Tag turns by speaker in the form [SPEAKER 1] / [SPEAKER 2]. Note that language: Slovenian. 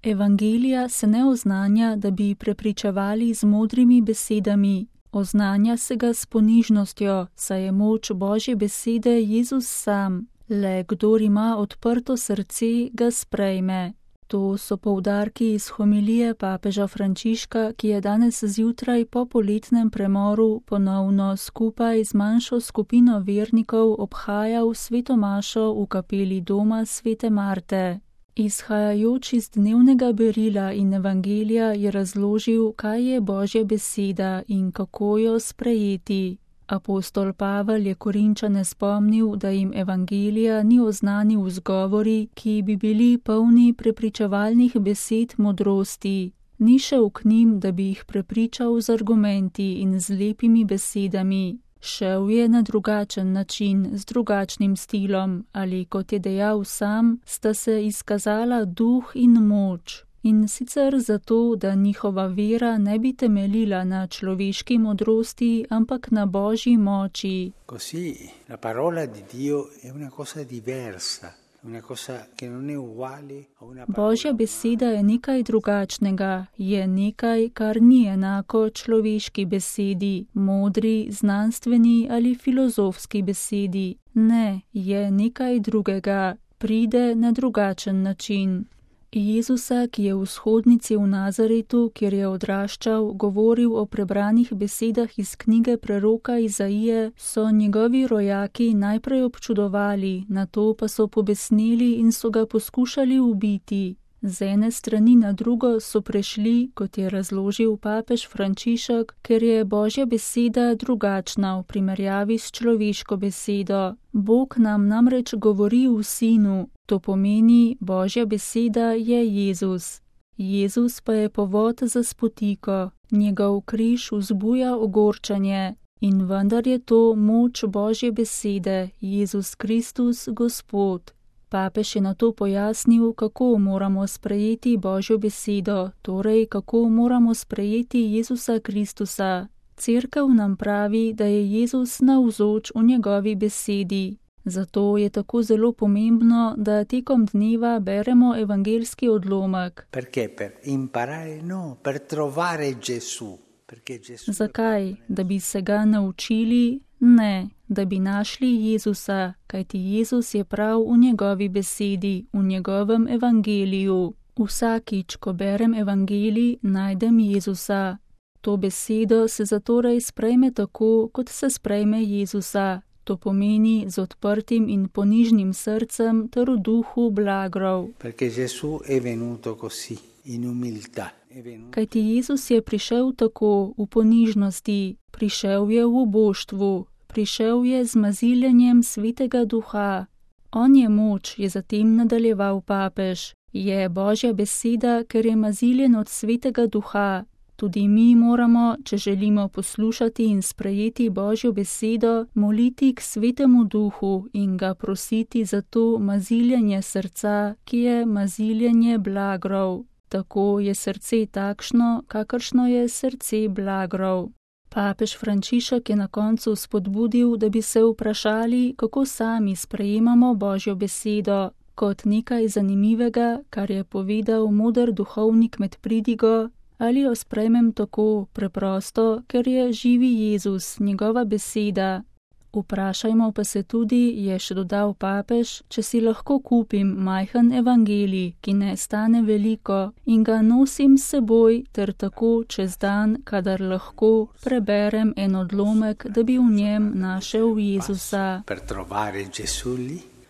[SPEAKER 1] Evangelija se ne oznanja, da bi prepričevali z modrimi besedami, oznanja se ga s ponižnostjo, saj je moč Božje besede Jezus sam. Le kdor ima odprto srce, ga sprejme. To so poudarki iz homilije papeža Frančiška, ki je danes zjutraj po poletnem premoru ponovno skupaj z manjšo skupino vernikov obhajal sveto mašo v kapeli doma svete Marte. Izhajajoč iz dnevnega berila in evangelija je razložil, kaj je Božja beseda in kako jo sprejeti. Apostol Pavel je Korinčane spomnil, da jim evangelija ni oznanil z govori, ki bi bili polni prepričevalnih besed modrosti. Ni šel k njim, da bi jih prepričal z argumenti in z lepimi besedami. Šel je na drugačen način, z drugačnim stilom, ali kot je dejal sam, sta se izkazala duh in moč. In sicer zato, da njihova vera ne bi temeljila na človeški modrosti, ampak na Božji moči.
[SPEAKER 2] Così la parola di Dio è una cosa diversa, una cosa che non è uguale a una parola.
[SPEAKER 1] Božja beseda je nekaj drugačnega, je nekaj, kar ni enako človeški besedi, modri, znanstveni ali filozofski besedi. Ne, je nekaj drugega, pride na drugačen način. Jezusa, ki je v shodnici v Nazaretu, kjer je odraščal, govoril o prebranih besedah iz knjige preroka Izaije, so njegovi rojaki najprej občudovali, nato pa so pobesneli in so ga poskušali ubiti. Z ene strani na drugo so prešli, kot je razložil papež Frančišek, ker je Božja beseda drugačna v primerjavi s človeško besedo. Bog nam namreč govori v Sinu, to pomeni, Božja beseda je Jezus. Jezus pa je povod za spotiko, njegov križ vzbuja ogorčanje in vendar je to moč Božje besede, Jezus Kristus, Gospod. Papež je nato pojasnil, kako moramo sprejeti Božjo besedo, torej kako moramo sprejeti Jezusa Kristusa. Cerkev nam pravi, da je Jezus navzoč v njegovi besedi. Zato je tako zelo pomembno, da tekom dneva beremo evangeljski odlomek.
[SPEAKER 2] Perché? Per imparare? No, per trovare Gesù.
[SPEAKER 1] Zakaj? Da bi se ga naučili? Ne, da bi našli Jezusa, kajti Jezus je prav v njegovi besedi, v njegovem evangeliju. Vsakič, ko berem evangelij, najdem Jezusa. To besedo se zatorej sprejme tako, kot se sprejme Jezusa. To pomeni z odprtim in ponižnim srcem ter v duhu blagrov.
[SPEAKER 2] Perché Gesù è venuto così, in umiltà.
[SPEAKER 1] Kajti Jezus je prišel tako, v ponižnosti, prišel je v oboštvu, prišel je z maziljenjem Svetega Duha. On je moč, je zatem nadaljeval papež. Je Božja beseda, ker je maziljen od Svetega Duha. Tudi mi moramo, če želimo poslušati in sprejeti Božjo besedo, moliti k Svetemu Duhu in ga prositi za to maziljenje srca, ki je maziljenje blagrov. Tako je srce takšno, kakršno je srce blagrov. Papež Frančišek je na koncu spodbudil, da bi se vprašali, kako sami sprejemamo Božjo besedo, kot nekaj zanimivega, kar je povedal moder duhovnik med pridigo, ali jo sprejmem tako preprosto, ker je živi Jezus, njegova beseda. Vprašajmo pa se tudi, je še dodal papež, če si lahko kupim majhen evangelij, ki ne stane veliko, in ga nosim s seboj ter tako čez dan, kadar lahko, preberem en odlomek, da bi v njem našel Jezusa.
[SPEAKER 2] Per trovare Gesù lì.